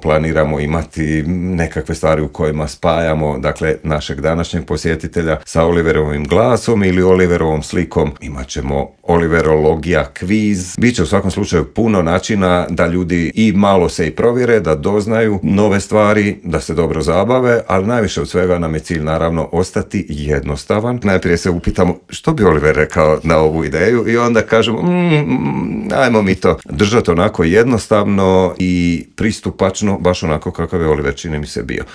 planiramo imati nekakve stvari u kojima spajamo, dakle, našeg današnjeg posjetitelja sa Oliverovim glasom ili Oliverovom slikom. Imat ćemo Oliverologija kviz. Biće u svakom slučaju puno načina da ljudi i malo se i provjere, da doznaju nove stvari, da se dobro zabave, ali najviše od svega nam je cilj naravno ostati jednostavan. Najprije se upitamo što bi Oliver rekao na ovu ideju i onda kažemo ajmo mi to držati onako jednostavno i pristupačno, baš onako kakav je Oliver, čini mi se, bio.